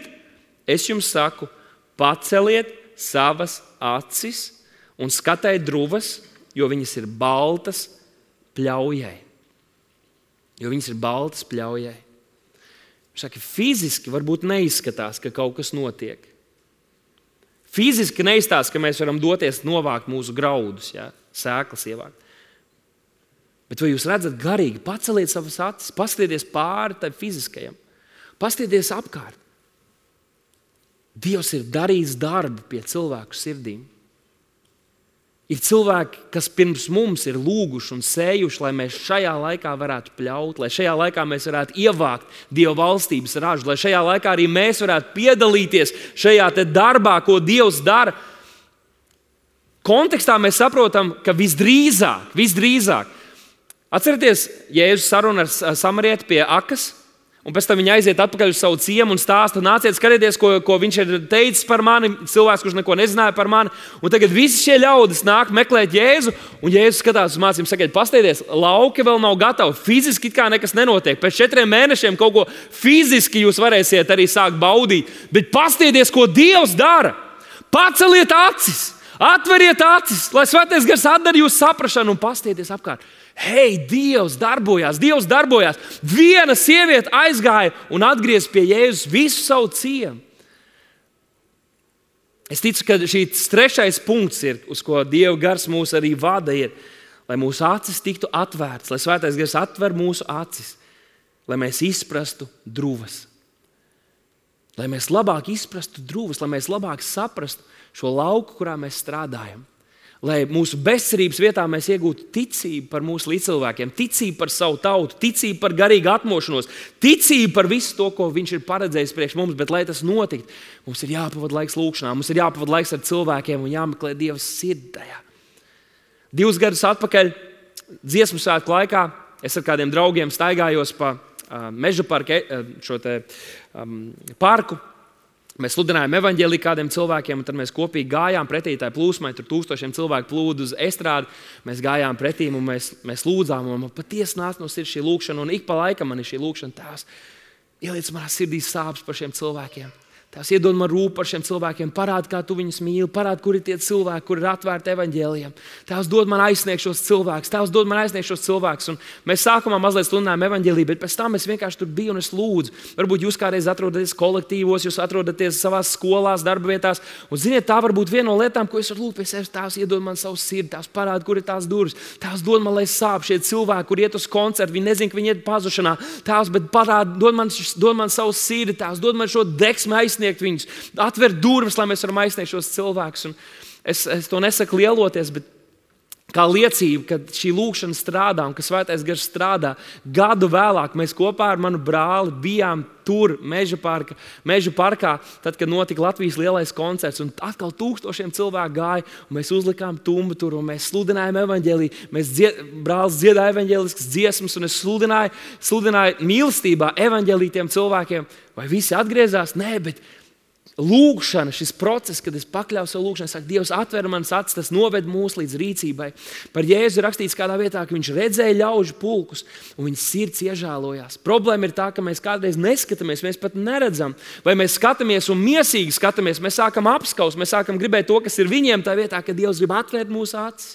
es jums saku, paceliet savas acis un skatiet druvas, jo viņas ir baltas pļaujai. Viņš saka, fiziski varbūt neizskatās, ka kaut kas notiek. Fiziski neizstāsta, ka mēs varam doties novākt mūsu graudus, sēklas ievākt. Bet vai jūs redzat garīgi, paceliet savas acis, paskatieties pāri tai fiziskajam, paskatieties apkārt. Dievs ir darījis darbu pie cilvēku sirdīm. Ir cilvēki, kas pirms mums ir lūguši un sējuši, lai mēs šajā laikā varētu pļaut, lai šajā laikā mēs varētu ievākt Dieva valstības ražu, lai šajā laikā arī mēs varētu piedalīties šajā te darbā, ko Dievs dara. Kontekstā mēs saprotam, ka visdrīzāk. Atcerieties, Jēzus saruna ar samarieti pie akas, un pēc tam viņi aiziet atpakaļ uz savu ciemu un stāsta, nāciet, skatieties, ko viņš ir teicis par mani, cilvēks, kurš neko nezināja par mani. Un tagad visi šie ļaudis nāk meklēt Jēzu, un Jēzus skatās uz mācību, saka, pastieties, lauki vēl nav gatavi, fiziski kā nekas nenotiek. Pēc 4 mēnešiem kaut ko fiziski jūs varēsiet arī sākt baudīt, bet pastieties, ko Dievs dara. Paceliet acis, atveriet acis, lai Svētais Gars atdara jūsu saprašanu un pastieties apkārt. Hei, Dievs darbojās. Viena sieviete aizgāja un atgriez pie Jēzus visu savu ciemu. Es ticu, ka šīs 3. punkts ir, uz ko Dieva Gars mūs arī vada, ir, lai mūsu acis tiktu atvērtas, lai Svētais Gars atver mūsu acis, lai mēs izprastu druvas. Lai mēs labāk izprastu druvas, lai mēs labāk saprastu šo lauku, kurā mēs strādājam. Lai mūsu bezcerības vietā mēs iegūtu ticību par mūsu līdzcilvēkiem, ticību par savu tautu, ticību par garīgu atmošanos, ticību par visu to, ko viņš ir paredzējis priekš mums, bet lai tas notiktu, mums ir jāpavada laiks lūkšanā, mums ir jāpavada laiks ar cilvēkiem un jāmeklē Dieva sirdi tajā. 2 gadus atpakaļ, dziesmu svētku laikā, es ar kādiem draugiem staigājos pa Meža parku. Mēs sludinājām evaņģēliju kādiem cilvēkiem, un tad mēs kopīgi gājām pretī tai plūsmai. Tur 1000 cilvēku plūda uz estrādi. Mēs gājām pretī un mēs lūdzām. Un man patiesi nāca no sirds šī lūkšana. Un ik pa laikam man ir šī lūkšana. Tēvs, ieliec manā sirdī sāpes par šiem cilvēkiem. Tēvs, iedod man rūp par šiem cilvēkiem. Parādi, kā tu viņus mīli. Parādi, kur ir tie cilvēki, kur ir atvērti evaņģēlijam. Tēvs, dod man aizsniegt šos cilvēkus. Un mēs sākumā mazliet sludinājām evaņģēliju, bet pēc tam es vienkārši tur biju un es lūdzu. Varbūt jūs kādreiz atrodaties kolektīvos, jūs atrodaties savās skolās, darba vietās. Un ziniet, tā var būt viena no lietām, ko es varu lūgt pie sevis. Tēvs, iedod man savu sirdi. Tēvs, parādi, kur ir tās durvis. Tēvs, dod man, lai sāp šie cilvēki, kur iet uz koncertu. Viņi nezin, ka viņi iet pazušanā. Tēvs, bet parādi, dod man savu sirdi. Tēvs, dod man šo deksmi aizsniegt viņus, atver durvis, lai mēs varam aizsniegt šos cilvēkus. Un es to nesaku lieloties, bet kā liecība, ka šī lūkšana strādā un ka Svētais Gars strādā. Gadu vēlāk mēs kopā ar manu brāli bijām tur, Meža parkā, tad, kad notika Latvijas lielais koncerts. Un atkal 1000 cilvēku gāja, un mēs uzlikām tumbu tur, un mēs sludinājām evaņģēliju. Brālis dziedāja evaņģēliskas dziesmas, un es sludināju mīlestībā evaņģēliju tiem cilvēkiem. Vai visi atgriezās? Nē, bet lūkšana, šis process, kad es pakļauju savu lūkšanu, saku, Dievs atver manas acis, tas noved mūs līdz rīcībai. Par Jēzu rakstīts kādā vietā, ka viņš redzēja ļaužu pulkus un viņa sirds iežēlojās. Problēma ir tā, ka mēs kādreiz neskatāmies, mēs pat neredzam. Vai mēs skatāmies un miesīgi skatāmies, mēs sākam apskaust, mēs sākam gribēt to, kas ir viņiem tā vietā, ka Dievs grib atvērt mūsu acis,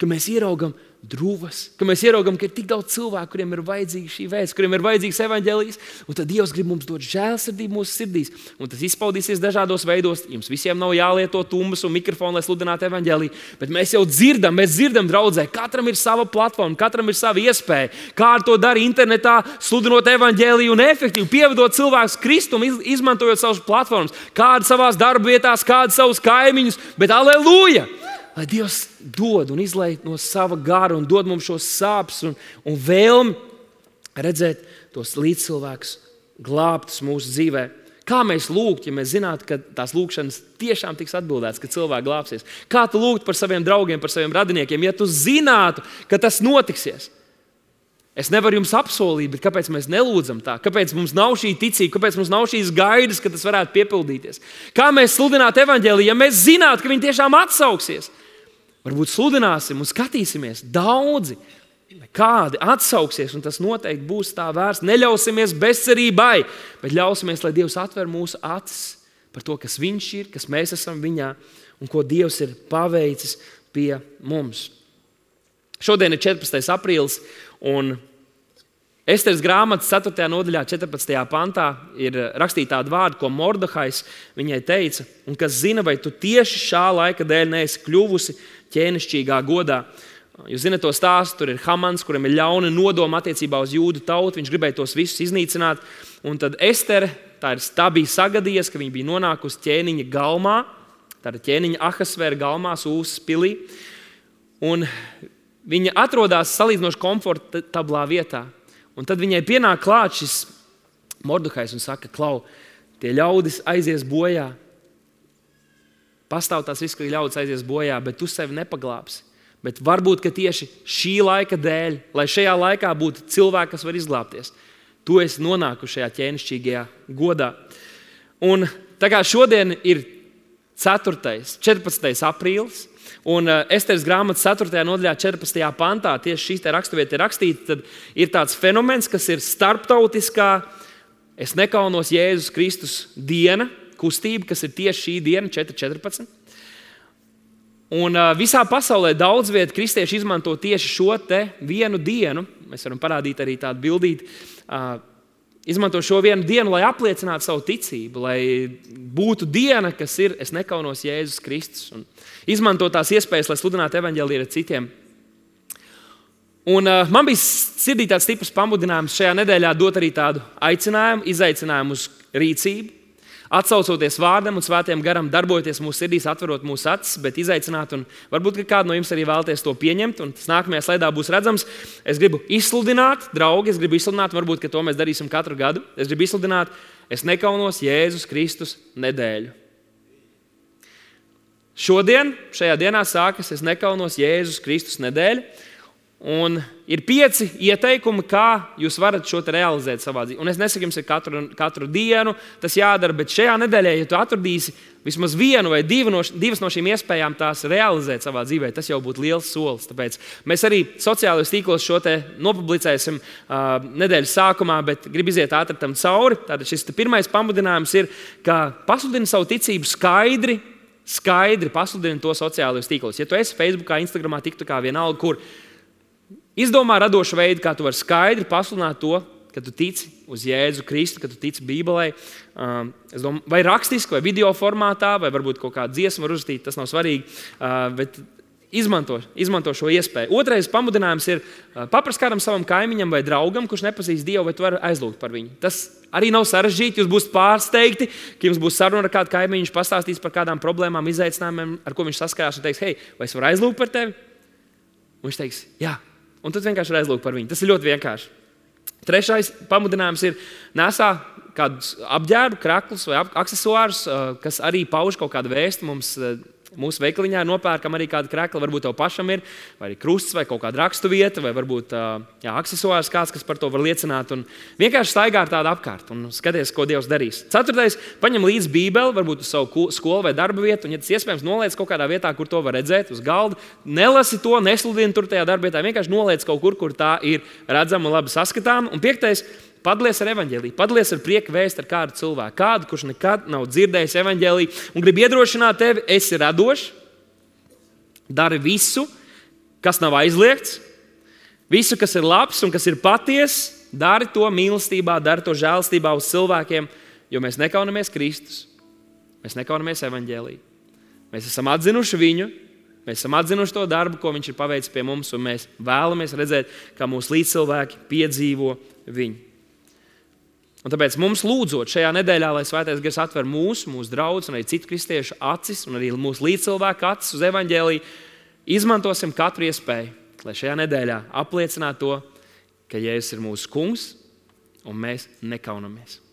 ka mēs ieraugam druvas, ka mēs ieraugam, ka ir tik daudz cilvēku, kuriem ir vajadzīga šī vēsts, kuriem ir vajadzīgs evaņģēlijs, un tad Dievs grib mums dot žēlsirdību mūsu sirdīs, un tas izpaudīsies dažādos veidos. Jums visiem nav jālieto tumbas un mikrofoni, lai sludinātu evaņģēliju, bet mēs jau dzirdam draudzē, katram ir sava platforma, katram ir sava iespēja, kā ar to dara internetā, sludinot evaņģēliju un efektīvi pievedot cilvēkus Kristum, izmantojot savas platformas, kādi savās darba vietās, kādi savus kaimiņus, bet aleluja! Lai Dievs dod un izlej no sava gara un dod mums šos sāpes un vēlmi redzēt tos līdzcilvēkus glābtus mūsu dzīvē. Kā mēs lūgt, ja mēs zinātu, ka tās lūgšanas tiešām tiks atbildētas, ka cilvēki glābsies? Kā tu lūgt par saviem draugiem, par saviem radiniekiem, ja tu zinātu, ka tas notiksies? Es nevaru jums apsolīt, bet kāpēc mēs nelūdzam tā? Kāpēc mums nav šī ticība? Kāpēc mums nav šīs gaidas, ka tas varētu piepildīties? Kā mēs sludinātu evaņģēliju, ja mēs zinātu, ka viņi tiešām atsauksies? Varbūt sludināsim un skatīsimies. Daudzi, kādi atsauksies, un tas noteikti būs tā vērsts. Neļausimies bezcerībai, bet ļausimies, lai Dievs atver mūsu acis par to, kas Viņš ir, kas mēs esam Viņā un ko Dievs ir paveicis pie mums. Šodien ir 14. aprīlis, un Esteres grāmatas 4. nodaļā, 14. pantā ir rakstīta tāda vārda, ko Mordehais viņai teica, un kas zina, vai tu tieši šā laika dēļ neesi kļuvusi ķēnišķīgā godā. Jūs zināt to stāstu, tur ir Hamans, kuram ir ļauna nodoma attiecībā uz jūdu tautu, viņš gribēja tos visus iznīcināt, un tad Estere, tā bija sagadījies, ka viņa bija nonākusi ķēniņa galmā, tāda ķēniņa Ahasvēra galmā, Sūsas pilī, un viņa atrodas salīdzinoši komfortablā vietā. Un tad viņai pienāk klāt šis Mordehais un saka, klau, tie ļaudis aizies bojā. Pastāv tās risks, ka ļaudis aizies bojā, bet tu sevi nepaglābsi. Bet varbūt, ka tieši šī laika dēļ, lai šajā laikā būtu cilvēki, kas var izglābties, tu esi nonākuši šajā ķēnišķīgajā godā. Un tā kā šodien ir 14. aprīlis, un Esteres grāmatas 4. nodaļā 14. pantā tieši šī raksturvieta ir rakstīta, tad ir tāds fenomens, kas ir starptautiskā Es nekaunos Jēzus Kristus diena, kustība, kas ir tieši šī diena, 4.14. Un visā pasaulē daudz viet kristieši izmanto tieši šo te vienu dienu. Mēs varam parādīt arī tādu bildīti. Izmanto šo vienu dienu, lai apliecinātu savu ticību, lai būtu diena, kas ir Es nekaunos Jēzus Kristus. Un izmanto tās iespējas, lai sludinātu evaņģēliju ar citiem. Un man bija sirdī tāds stiprs pamudinājums šajā nedēļā dot arī tādu aicinājumu, izaicinājumu uz rīcību, atsaucoties vārdam un svētajam garam, darbojoties mūsu sirdīs, atverot mūsu acis, bet izaicināt, un varbūt, ka kādu no jums arī vēlaties to pieņemt, un tas nākamajā slaidā būs redzams. Es gribu izsludināt, draugi, varbūt, ka to mēs darīsim katru gadu. Es gribu izsludināt, Es nekaunos Jēzus Kristus nedēļu. Šodien, šajā dienā sākas Es nekaunos Jēzus Kristus nedēļa. Un ir 5 ieteikumi, kā jūs varat šo te realizēt savā dzīvē. Un es nesaku jums, ka katru dienu tas jādara, bet šajā nedēļā, ja tu atradīsi vismaz vienu vai divas no šīm iespējām tās realizēt savā dzīvē, tas jau būtu liels solis. Tāpēc mēs arī sociālajos tīklos šo te nopublicēsim nedēļas sākumā, bet gribu iziet ātri tam cauri. Tātad šis pirmais pamudinājums ir, ka pasludini savu ticību skaidri pasludini to sociālajos tīklos. Ja tu esi Facebookā, Instagramā, TikTokā, vienalga, kur izdomā radošu veidu, kā tu vari skaidri pasludināt to, ka tu tici uz Jēzu Kristu, ka tu tici Bībelei. Vai rakstiski, vai video formātā, vai varbūt kaut kādu dziesmu var uzrakstīt, tas nav svarīgi, bet izmanto šo iespēju. Otrais pamudinājums ir paprast kādam savam kaimiņam vai draugam, kurš nepazīst Dievu, vai tu vari aizlūgt par viņu. Tas arī nav sarežģīti, jūs būsiet pārsteigti, ka jums būs saruna ar kādu kaimiņu, viņš pastāstīs par kādām problēmām, izaicinājumiem, ar ko viņš saskarās, un teiks, hei, vai es varu aizlūgt par tevi? Un viņš teiks, jā. Un tad vienkārši ir aizlūgt par viņu. Tas ir ļoti vienkārši. Trešais pamudinājums ir nesā kādus apģērbu, kraklus vai aksesuārus, kas arī pauž kaut kādu vēstu. Mūsu veikaliņā nopērkam arī kādu kraklu, varbūt tev pašam ir, vai arī krusts, vai kaut kāda rakstu vieta, vai varbūt aksesuārs kāds, kas par to var liecināt. Un vienkārši staigā ar tādu apkārt un skaties, ko Dievs darīs. 4. paņem līdzi Bībeli, varbūt uz savu skolu vai darba vietu, un, ja tas iespējams, noliec kaut kādā vietā, kur to var redzēt, uz galda. Nelasi to, nesludini tur tajā darba vietā, vienkārši noliec kaut kur tā ir redzama un labi saskatāma. Un 5. Padalies ar evaņģēliju, padalies ar prieku vēstu ar kādu cilvēku, kādu, kurš nekad nav dzirdējis evaņģēliju, un grib iedrošināt tevi, esi radošs, dari visu, kas nav aizliegts, Visu, kas ir labs un kas ir patiess, dari to mīlestībā, dari to žēlstībā uz cilvēkiem, jo mēs nekaunamies Kristus. Mēs nekaunamies evaņģēliju. Mēs esam atzinuši viņu, mēs esam atzinuši to darbu, ko viņš ir paveicis pie mums, un mēs vēlamies redzēt, kā mūsu līdzcilvēki piedzīvo viņu. Un tāpēc mums lūdzot šajā nedēļā, lai Svētais Gars atver mūsu draugus un arī citu kristiešu acis un arī mūsu līdzcilvēku acis uz evaņģēliju, izmantosim katru iespēju, lai šajā nedēļā apliecinātu to, ka Jēzus ir mūsu kungs un mēs nekaunamies.